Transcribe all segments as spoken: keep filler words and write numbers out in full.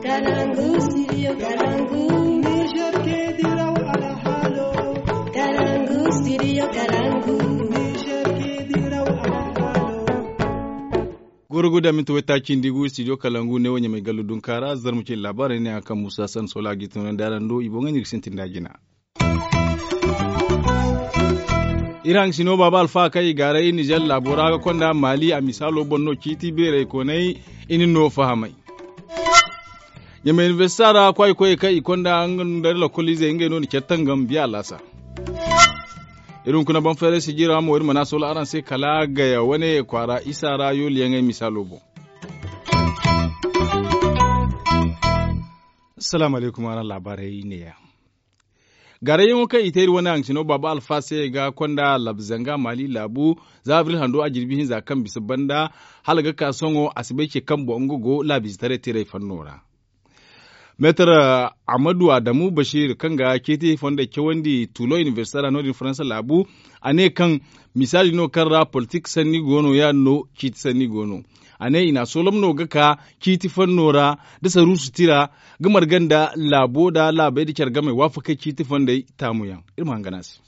Kalangu, studio Kalangu. Niger ke diraw alhalo. Kalangu, studio Kalangu. Niger ke diraw alhalo. Goro guda minti waytaaci nda i gu studio Kalangu ne wo ɲamay gallu dunkaara zarma cine laabaarey ne a kaŋ muusa san sola ga i tunandi araŋ do i boŋey no i ga sintin da jina. Iri haŋ sino baaba alfa kaŋ i gaaray nizer laabo ra ga konda maali a misaalo boŋ no ciiti beerey koonay i na no fahamay. Ɲamay inibersita ra kwaay koyey kaŋ i konda nga nda lakkol izey ngey no na care tangam biya alaasa. Iri hunkuna baŋ feeray sijira mo iri mana solo araŋ se kala gaya wane kwaara isa ra yooliyaŋey misaalo boŋ. Salaamu alaykum araŋ laabaarey neeya. Gaarayyaŋo kaŋ i te iri wane haŋ cino baaba alfa se ga konda laabu zanga maali laabu za abril hando a jirbi hinza kaŋ bisa banda hala ga ka sohõ a si bay ce kaŋ boŋ nga go laabiizetaray teeray fanno ra. Meetar ahmadu adamu bashir kaŋ ga ceeti fondey cawandi tulo inibersita ra no- din faransa laabu a ne kaŋ misaali no kaŋ ra politik sanni go no ya- din no ciiti sanni go no. A ne i na a soolam no ga ka ciiti fanno ra nda saruusu tira ga marga nda laabo nda laabey nda care game waafakey ciiti fondey taamuyaŋ. Iri ma hangan a se.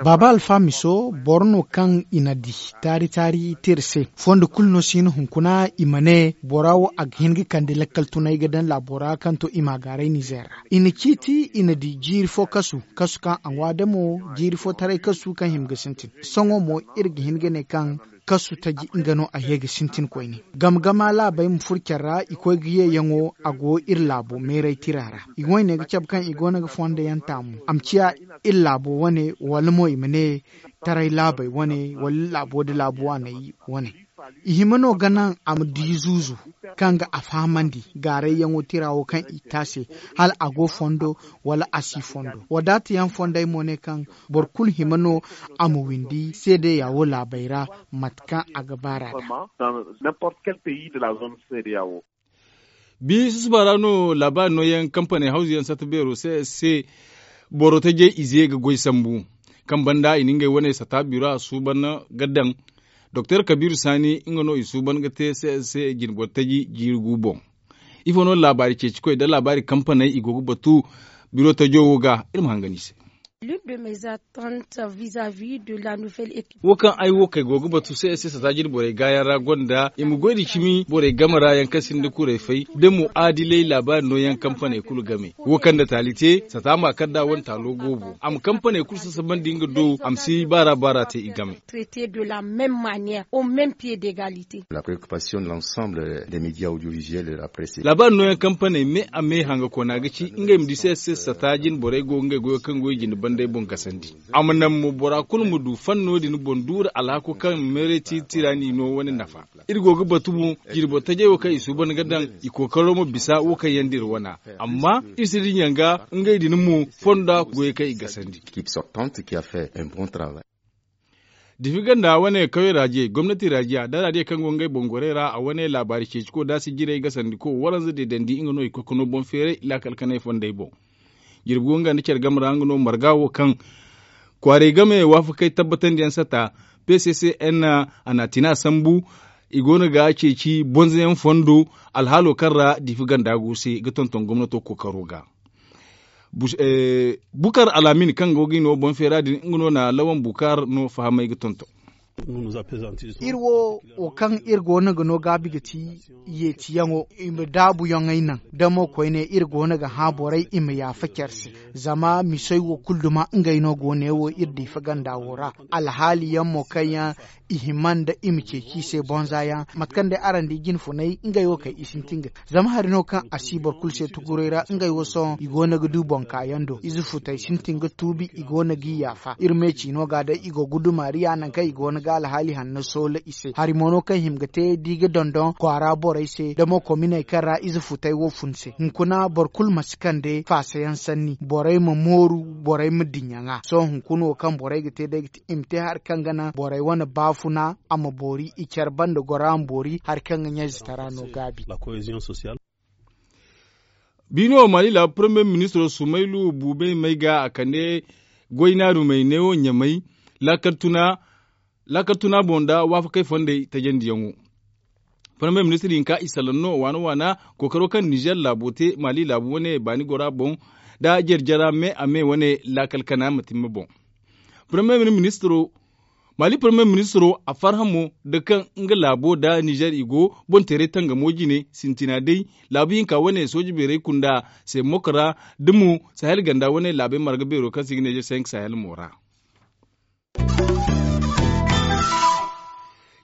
Baaba alfa miso boro no kaŋ i na di taari taari te iri se fondo kulu no si hin hunkuna i ma ne bora wo a ga hin ga kande lakkal tunay ga daŋ laabo ra kaŋ to i ma a gaaray nizer ra. I na ciiti i na di jiiri fo kasu kasu kaŋ a ŋwa damo jiiri fo taray kasu kaŋ hima ga sintin. Sohõ mo iri ga hin ga ne kaŋ kasu taji nga no a ye ga sintin koyne. Gama gama laabey ma furo care ra i koy ga yeeyaŋo a go iri laabo meeray tira ra. I wayne ga cabe kaŋ i go no ga fondo yaŋ taamu a ma ciya iri laabo wane wala mo i ma ne taray laabey wane wala iri laabo nda laabu waaney wane. I hima no ga naŋ a ma di zuuzu kaŋ ga a fahamandi gaarayyaŋo tira wo kaŋ i te a se hala a go fondo wala a si fondo. Wadaata yaŋ fondey mo ne kaŋ boro kulu hima no a ma windi seedeya wo laabey ra mate kaŋ a ga baar'a da. Bi susuba ra no laabaari nooyaŋ kampaney hawzu yaŋ satta beero se se boro tajey ize ga goy sambu kaŋ banda i na ngey wane sata biro a suuban ga daŋ. Doktor kabiiru saani nga no i suuban ga te se se jinboro taji jiiri gu boŋ. Ifo no laabaari ceecikoy nda laabaari kampaney i go ga batu biro tajo wo ga iri ma hangan i se. Wo kaŋ ay wo kay go ga batu se ay se sata jine borey gaayaŋ ra gonda i ma goy nda cimi borey game ra yaŋ kaŋ sinda kuray fay da mo aadilay laabaari nooyaŋ kampaney kulu game wo kaŋ nda taali te sata ma kar da wane taalo goobo a ma kampaney kulu sasabandi nga do a ma si baara baara te i game. Laabaari nooyaŋ kampaney me a me hanga koona ga ci ngey ma di se se sata jine borey go ngey goyo kaŋ go i jine banday boŋ gasandi. A ma naŋ mo bora kulu ma du fanno din boŋ duura alhako kaŋ meeray tiiri tiira n'i no wane nafa. Iri go ga batu mo jirbo tajey wo kaŋ i suuban ga daŋ i kookaro ma bisa wo kaŋ yaŋ da iri wana. Amma iri si dinya ga ngey din mo fonda goyey kaŋ i gasandi. Difi ganda wane kawye raajiye gomnati raajiya da raajiye kaŋ go ngey boŋ gorey ra a wane laabaari ceeciko da sijirey gasandiko waranza deedandi nga no i koy ga no boŋ feeray laakal kanay fondey boŋ. Jirbi go nga nda care game ra nga no marga wo kaŋ kwaarey game waafakey tabbatandi yaŋ sata. P c c n a na a tina sambu i go no ga ceeci bonza yaŋ fondo alhaalo kaŋ ra diifi ganda go se ga tonton gomnato kookaro ga. Bukar alaamin kaŋ go ga i no boŋ feera din nga no na lawan bukar no fahamay ga tonton. Iri wo wo kaŋ iri go no ga no gaabi ga ti yeetiyaŋo i ma daabuyaŋey naŋ da mo koyne iri go no ga hã borey i ma yaafa care se. Zama misoy wo kulu duma ngey no go ne wo iri diifa ganda wo ra. Alhaali yaŋ mo kaŋ yaŋ i hima nda i ma ceeci i se bonza yaŋ mate kaŋ day araŋ di jinfunay ngey wo kay i sintin ga te zama hari no kaŋ a si boro kulu se tuguray ra ngey wo sohõ i go no ga du boŋ kaayaŋ do ize futey sintin ga tuubi i go no g'i yaafa iri me ciino ga day i go ga du maariya naŋ kaŋ i go no ga alhaali hanno soola i se hari mo no kaŋ hima ga te da i ga dondon kwaara borey se da mo kominey kaŋ ra ize futey wo fun se hunkuna boro kulu ma si kande faasayaŋ sanni borey ma mooru borey ma dinya ŋwa sohõ hunkuna wo kaŋ borey ga te day ga te i ma te hari kaŋ ga naŋ borey wane baafuna a ma boori i care banda goro a ma boori hari kaŋ ga ɲayze tara no gaabi. Biino mali laabu premier ministro sumaylu buubey may ga a kande goynaarumey neewo ɲamay laakal tuna boŋ nda waafakey fondey tajandiyaŋo. Farmey ministir hinka i salaŋ no waana waana kookaro kaŋ nizer laabo te maali laabu wane baani gora boŋ, nda jare jara me a me wane laakal kana ma timma boŋ. Farmey ministiro maali farmey ministiro a farhã mo nda kaŋ nga laabo nda nizer i go boŋ teeray tangamo jine sintina day laabu hinka wane sooje beeray kunda se mokora, da mo sahel ganda wane laabey marga beero kaŋ se i ga ne sahel mo ra.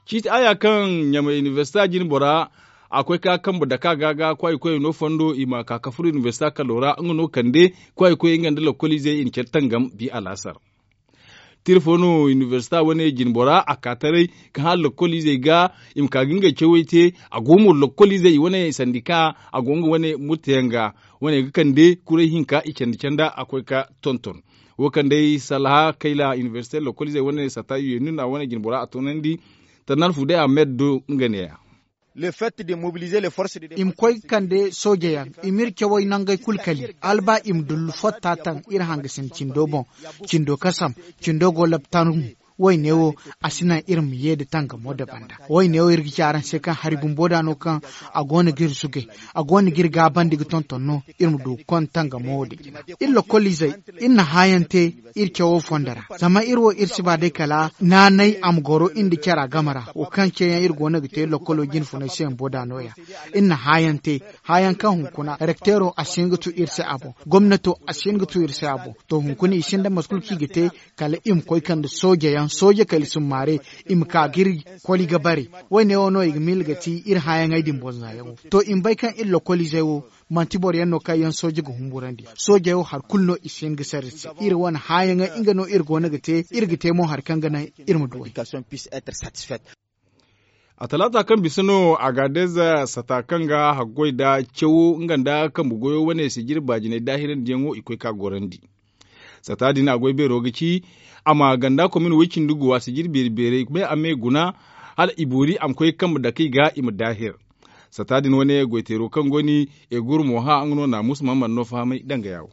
Ciiti aya kaŋ ɲamay inibersita jine bora a koy ka kambe daka ga ga kwaayi koyey no fondo i ma ka ka furo inibersita kalo ra nga no kande kwaayi koyey nga nda lokoliizey i na care tangam bi alaasar. Tira fo no inibersita wane jine bora a ka taray ka hã lokoliizey ga i ma ka ga ngey cawey te. A go mo lokoliizey i wane sandika a go nga wane murtayaŋ ga wane ga kande kuray hinka i candi canda a koy ka tonton. Wo kaŋ day salaha kayla inibersite lokoliizey wane sata yeenun a wane jine bora a toonandi. Tannar fu day a meed do nga neeya. I ma koy ga kande sooje yaŋ i ma iri cawey nangey kulu kali hala ba i ma dullu fotta taŋ iri hangasin cindo boŋ. Cindo kasam cindo go labtanum. Wayne wo a si naŋ iri ma ye nda tangamo nda banda. Wayne wo iri ga ci araŋ se kaŋ hari bumbo da no kaŋ a go no ga iri zugay a go no ga iri gaabandi ga tonton no. Iri ma du ga konda tangamo wo nda jina iri lokoliizey iri na hãayaŋ te iri cawo fondo ra. Zama iri wo iri si ba day kala naanay a ma goro iri nda cara game ra wo kaŋ ceeyaŋ iri go no ga te lokolo jinfunay se bumbo da no- ya. Iri na hãayaŋ te hãayaŋ kaŋ hunkuna rekteero a si hin ga tu iri se a boŋ. Gomnato a si hin ga tu iri se a boŋ. To hunkuna i sinda mate kulu kaŋ i ga te kala i ma koy kande sooje yaŋ sooje kala i summaare i ma ka ga iri koli ga bare. Wayne wo no i ga miila ga ti iri hãayaŋey din boŋ zaayaŋo. To i ma bay kaŋ iri lokoliizey wo manti boro yaŋ no kaŋ yaŋ sooje ga humburandi. Soojey wo hari kulu no i si hin ga sara iri se iri wane hãayaŋey nga no iri go no ga te iri ga te mo hari kaŋ ga naŋ iri ma duw'ey. A talaata kaŋ bisa no a ga deeza sata kaŋ ga haggoy nda cawo nga nda kambe goyo wane sijiri baajinay daahirandiyaŋo i koy ka gorandi. Sata din a goy beero ga ci a ma ganda komin woy cindi guwa sijiri beeri beeray me a me guna hala i boori a ma koy kambe dake i ga i ma daahir. Sata din wane goyteero kaŋ go ni egur mo hã nga no naamusa ma mana no fahamay danga yaawo.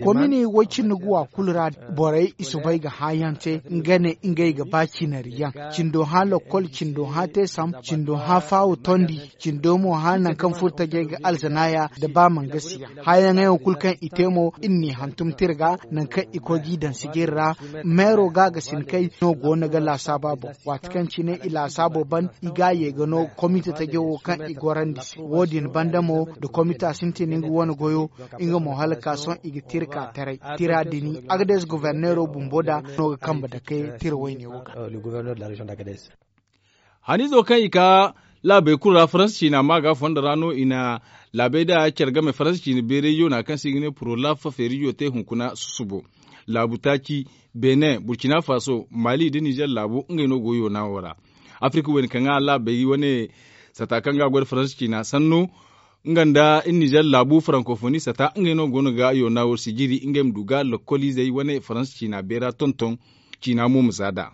Komini woy cindi guwa kulu ra borey i soobay ga hãayaŋ te nga ne ngey ga ba cinari yaŋ. Cindo hã lokkol cindo hã teesam cindo hã faawo tondi. Cindo mo hã nangu kaŋ furo tajey ga alzanaaya nda ba mangasi yaŋ hãayaŋey wo kulu kaŋ i te mo iri n'i hantum tira ga nangu kaŋ i koy g'i daŋ sijiri ra. Meero ga ga sinkey no go no ga laasaaba boŋ waati kaŋ cine i laasaabo ban i ga a ye ga no komite tajo wo kaŋ i gorandi se wo- din banda mo nda komita sintin nga wane goyo. Nga mo hala ka sohõ i ga tira ka taray tira din agades goborneero bumbo da no ga kambe dake tira wayne wo ga. Haniizo kaŋ i ka laabey kulu ra faransa ciina ma ga fondo ra no i na laabey da care game faransa ciina beeray yoona kaŋ se i ga ne purolaf feerijo te hunkuna susubo. Laabu taaci benin burcina faso mali nda nizer laabo ngey no go yoona wo ra. Afirka wayne kaŋ ga laabey wane sata kaŋ ga a goy nda faransa ciina sanno nga nda nizer laabu farankofoni sata ngey no go no ga yoona wo sijiri ngey ma du ga lokkoliizey wane faransa ciina beera tonton. Ciina mo ma za nd'a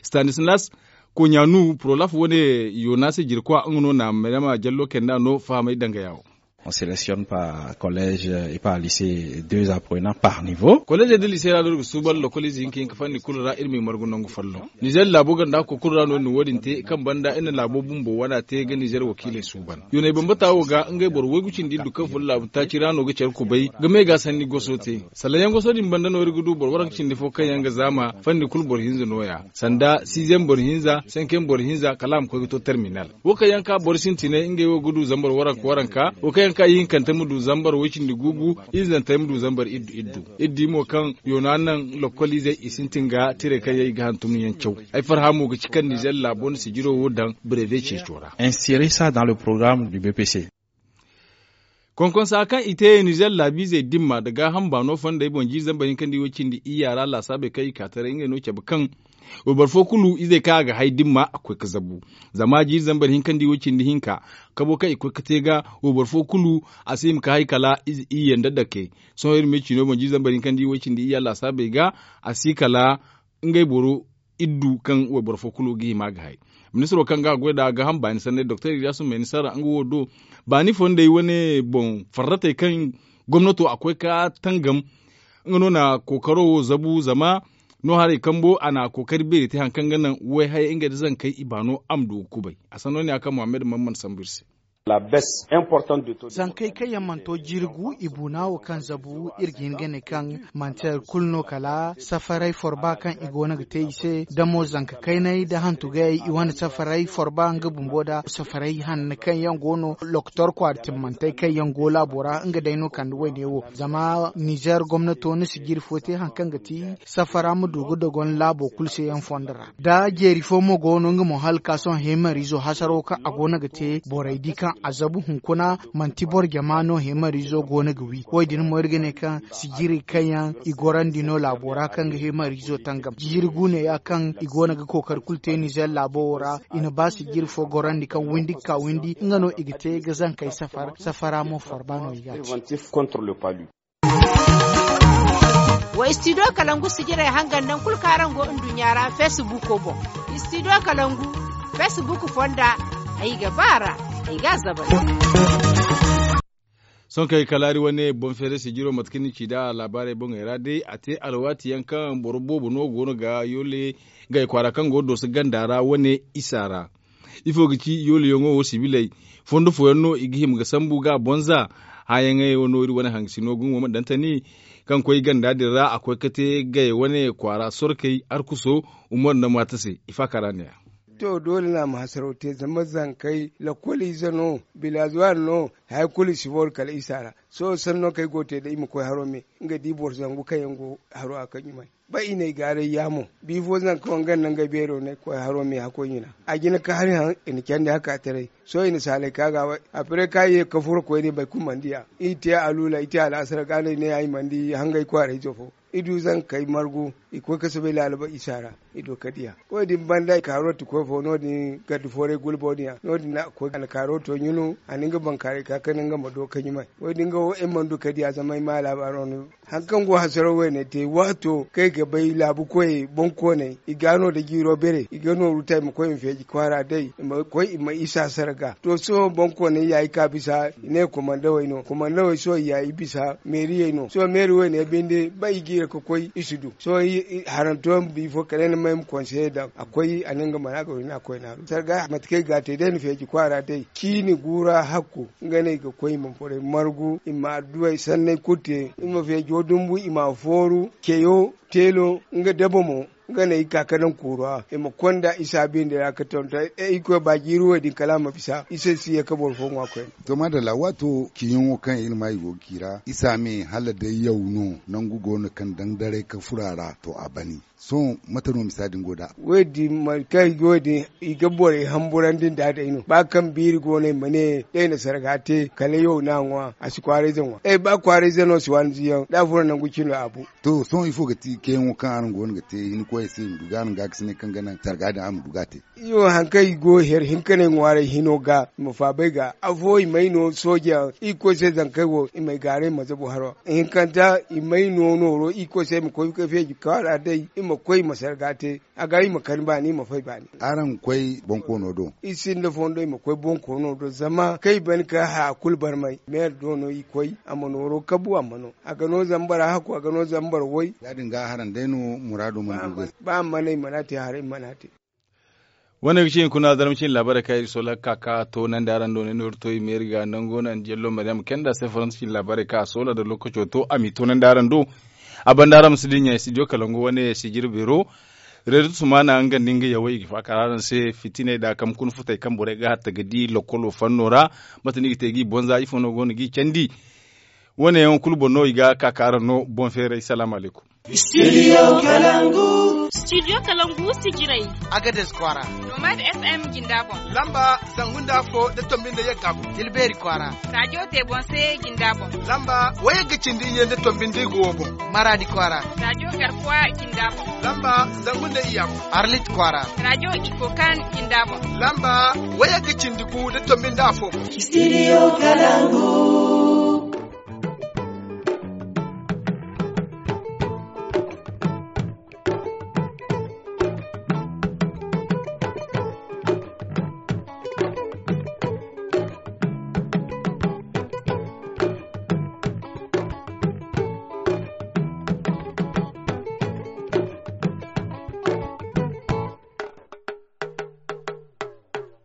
stanislas koɲanu purolaf wane yoona se jirkwa nga no na mayrama jallo kay nd'a no fahamay danga yaawo. On sélectionne par collège et par lycée deux apprenants par niveau. Kolleezey nda liisey ra no iri ga suuban lokoliize hinka hinka fanni kulu ra iri ma i margu nangu folloŋ. Nizer laabo ganda hako kulu ra no iri na wo- din te kaŋ banda iri na laabo bumbo wana te ga nizer wakiiley suuban. Yooney bambata wo ga ngey boro waygu cindi iddu kaŋ furo laabu taaci ra no ga care kubay ga me ga sanni goso te. Salaŋ yaŋ goso din banda no iri ga du boro waranka cindi fo kaŋ yaŋ ga zaama fanni kulu boro hinza no- ya sanda siizem boro hinza senkem boro hinza kala a ma koy ga to terminal. Wo kaŋ yaŋ ka boro sintinay ngey wo ga du zambar waranka waranka wo kaŋ yaŋ ka ihinkante ma du zambar woy cindi guugu. Izantey ma du zambar iddu iddu. Iri di mo kaŋ yoona naŋ lokkoliizey i sintin ga tiray kaŋ yaŋ i ga hantum yaŋ caw. Ay farhã mo ga ci kaŋ nizer laabo na sijiro wo daŋ breve ceeco ra. Insérer ça dans le programme du bpc. Konkonsa kaŋ i te nizer laabiizey dimma nda gaaham baano fondey boŋ jiiri zambar hinka nda i wo cindi iyya ra laasaabey kaŋ i ka taray ngey no cabe kaŋ wayboro fo kulu izey kaŋ a ga hay dimma a koy ga zabu. Zama jiiri zambar hinka nda i wo cindi hinka kabo kaŋ i koy ga te ga wayboro fo kulu a si hima ga hay kala iyye nda dake. Sohõ iri ma ye ciino boŋ jiiri zambar hinka nda i wo cindi iyya laasaabey ga a si kala ngey boro iddu kaŋ wayboro fo kulu ga hima ga hay. Ministiro kaŋ ga a goy nd'a gaaham baani sanney doktor ilyasu mayni sarra nga wo do baani fondey wane boŋ farratey kaŋ gomnato a koy ga tangam. Nga no na kookaro wo zabu zama No haray kambo a na a kookari beeri te hari kaŋ ga naŋ wayhayey ngey nda zankey i baano a ma du ga kubay. A sanno ne ya kaŋ muhammad man mana sambu iri se. Zankey kaŋ yaŋ mana to jirgu i buuna wo kaŋ zabu iri ga hin ga ne kaŋ manti hari kulu no kala safaray forba kaŋ i go no ga te i se da mo zanka kaynay da hantu gayey i wane safaray forba nga bumbo da safaray hanno kaŋ yaŋ go no lokotor kwaara timmantey kaŋ yaŋ go laabo ra nga day no kande wayne wo. Zama nizer gomnato ni si jiri fo te hari kaŋ ga ti safara ma du ga dogon laabo kulu se yaŋ fondo ra da jeeri fo mo go no nga mo hala ka sohõ heemariizo hasaro kaŋ a go no ga te borey di kaŋ a zabu hunkuna manti boro jama no heemariizo go no ga wi. Wo- din mo iri ga ne kaŋ sijiri kaŋ yaŋ i gorandi no laabo ra kaŋ ga heemariizo tangam jiri guune ya kaŋ i go no ga kookari kulu te nizer laabo wo ra. I na ba sijiri fo gorandi kaŋ windi ga ka windi nga no i ga te ga zankey safar safara mo forba no i ga a te. Wa istidiyo kalangu sijirey hangan nangu kulu kaŋ araŋ go nduɲɲa ra feesibuuko boŋ. Istidiyo kalangu feesibuuko fonda ay ga ba a ra ay ga a zabari. Sohõ kaŋ ay kalaari wane boŋ feeray sijiro mate kaŋ ni ci nd'a laabaarey boŋey ra day a te alwaati yaŋ kaŋ boro boobo no go no ga yoole gay kwaara kaŋ go dooso ganda ra wane isa ra. Ifo ga ci yooliyaŋo wo sibiley fondo fooyaŋ no i ga hima ga sambu ga a bonza. Hããyaŋey wo no iri wane hangasino ga ŋwa ma daŋ tani kaŋ koy ganda din ra a koy ga te gay wane kwaara sorkey arkuso umar nda maata se. Ifa kara ne-ya. To doole no a ma hasaraw te zama zankey lakkol ize no bilazuwaari no. Hari kulu i si booru kala isa ra. Sohõ sanno kaŋ ay go ga te day i ma koy haro me nga di boro zangu kaŋ yaŋ go haro a kaŋ ɲumay ba i na ay gaaray yaamo. Biifo zanka wanganda ngey beero no ay koy haro me hakkoy ɲina. A jina ka hari haŋ i na candi hakaataray. Sohõ i na saalay ka ga a bay. Apre ka ye ka furo koyne boro kulu mana di a. I te aluula i te alaasara ga no ay ne ay mana di hangay kwaarayzo fo. I du zankey margu i koy ka soobay laalaba isa ra. I du ka di a wo- din banda kaaroti koy fo no- din gardi fooray gulbo din ya no- din no a koy alkaaro to ɲunu a na nga bankaaray ka kande nga ma do ka ɲumay. Wo- din ga wo ay mana du ka di a zama ay ma laabaaro no. Hari kaŋ go hasaraw wayne te waato kaŋ ay ga bay laabu koyey boŋkooney i ga no nda jiiro bere i ga nooru ta i ma koy i ma feeji kwaara day i ma koy i ma isa sarga to sohõ boŋkooney ya i ka bisa i ne komandawey no komandawey sohõ i ya i bisa meeriyey no sohõ meeri wayne binde ba i jiire ka koy i si du sohõ haranto yaŋ biifo kala ay na may ma konseye daŋ a koy a ne nga mana ga wayna koy naaru sarga mate kaŋ i ga a te day na feeji kwaara day ciini guura hakku nga no i ga koy i ma borey margu i ma adduwey sanney kulu te i ma feejo dumbu i ma a fooru ceyo teelo nga daba mo nga no ay ga ka ka daŋ kuuru ra i ma konda isa bindi ra ka tonton ay koy ba jiiri wo- din kala a ma bisa isa si ye ka boro fo ŋwa koyne. To maadalla waato ciiyaŋo kaŋ iri ma i go ga ci ra isa me hala day yaw no nangu go no kaŋ daŋ daray ka furo a ra to a bani. Sohõ mate no misa din go nd'a? Wo- din mate kaŋ i go din i ga borey hamburandi nd'a day no ba kaŋ biiri go no i ma ne day na sarga te kala yaw no a ŋwa a si kwaarayze ŋwa ay ba kwaarayze no si waani ziyaŋ da a furo nangu cino a bu. To sohõ ifo ga ti kayyaŋo kaŋ araŋ go no ga te hinkoyey se i ma du ga araŋ gaakasinay kaŋ ga naŋ sarga din a ma du ga a te? Iyo hari kaŋ i go here hinkaney ŋwaaray hino ga i ma faabay ga afo i may no soojeyaŋ irkoy se zankey wo i m'ay gaaray i ma zabu haro hinkanta i may no nooro irkoy se i ma koy ga feeji kwaara day i ma koy i ma sarga te. A ga i ma kani baani i ma fay baani. Araŋ koy bonkoono do? I sinda fondo i ma koy bonkoono do zama kaŋ i ban ka haya kulu barmay meere do no i koy a ma nooro kabu a ma no a ga no zama boro hakku a ga no zama boro way. Ya- din ga haraŋ day no muraado mana du ga ay. Ba a mana i mana te haray i mana te. Wane ga ci hunkuna zarma cine laabaarey kaŋ iri soola ga ka ka toonandi araŋ do ne no iri to i ma iri ga nango naŋ jello maryam kenda se faransa cine laabaarey kaŋ a soola nda lookaco to a m'i toonandi araŋ do. A banda araŋ ma si dinya studio kalangu wane sijiri beero. Reedu tusumana nga nda nga yawey i ga faakar araŋ se fitiney nda a kambe kuna futey kaŋ borey ga hatta ga di lokkolo fanno ra. Mate no i ga te g'i bonza ifo no go no g'i candi? Wo- ne yaŋo kulu boŋ no i ga ka ka araŋ no boŋ feeray salaamu alaykum. Studio kalangu. Studio kalangu sijirey. Agades kwaara. Nomad fm jinda boŋ. Lamba zangu nda afo nda tombi nda yagga boŋ. Tilbeeri kwaara. Rajo te boŋ se jinda boŋ. Lamba wayagga cindi iyye nda tombi nda igo wo boŋ. Maraadi kwaara. Rajo garkuwa jinda boŋ. Lamba zangu nda iyya boŋ. Arlit kwaara. Rajo ikokan jinda boŋ. Lamba wayagga cindi gu nda tombi nda afo boŋ. Studio kalangu.